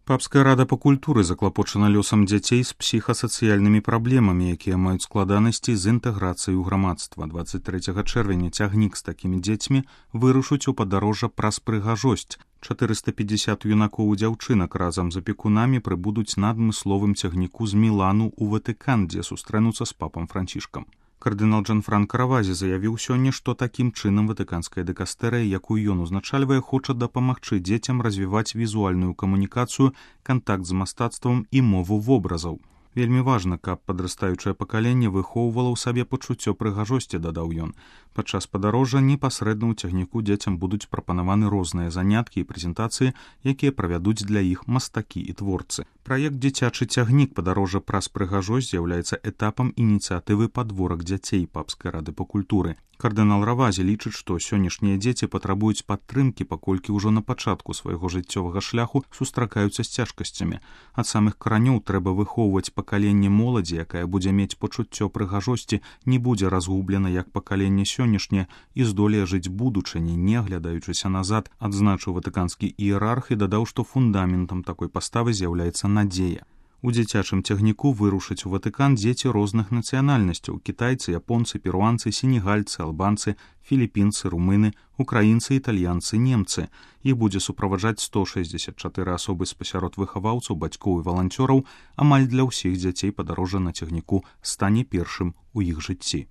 Папская рада па культуры заклапочана лёсам дзяцей з псіхасацыяльнымі праблемамі, якія маюць складанасці з інтэграцыяй у грамадства. 23 чэрвеня цягнік з такімі дзецьмі вырушыць у падарожжа праз прыгажосць. 450 юнакоў і дзяўчынак разам з апекунамі прыбудуць на адмысловым цягніку з Мілану ў Ватыкан, дзе сустрэнуцца з папам Францішкам. Кардынал Джанфранка Равазі заявіў сёння, што такім чынам ватыканская дыкастэрыя, якую ён узначальвае, хоча дапамагчы дзецям развіваць візуальную камунікацыю, кантакт з мастацтвам і мову вобразаў. Вельмі важна, каб падрастаючае пакаленне выхоўвала ў сабе пачуццё прыгажосці, дадаў ён. Падчас падарожжа непасрэдна ў цягніку дзецям будуць прапанаваны розныя заняткі і прэзентацыі, якія правядуць для іх мастакі і творцы. Праект «Дзіцячы цягнік. Падарожжа праз прыгажосць» з'яўляецца этапам ініцыятывы «Падворак дзяцей» Папскай рады па культуры. Кардынал Равазі лічыць, што сённяшнія дзеці патрабуюць падтрымкі, паколькі ўжо на пачатку свайго жыццёвага шляху сустракаюцца з цяжкасцямі. Ад самых каранёў трэба выхоўваць пакаленне моладзі, якая будзе мець пачуццё прыгажосці, не будзе разгублена як пакаленне сённяшняе і здолее жыць будучыні, не аглядаючыся назад, адзначыў ватыканскі іерарх і дадаў, што фундаментам такой паставы з'яўляецца надзея. У дзіцячым цягніку вырушаць у Ватыкан дзеці розных нацыянальнасцяў: кітайцы, японцы, перуанцы, сенегальцы, албанцы, філіпінцы, румыны, украінцы, італьянцы, немцы. Іх будзе суправаджаць 164 асобы спасярод выхаваўцаў, бацькоў і валанцёраў. Амаль для ўсіх дзяцей падарожжа на цягніку стане першым у іх жыцці.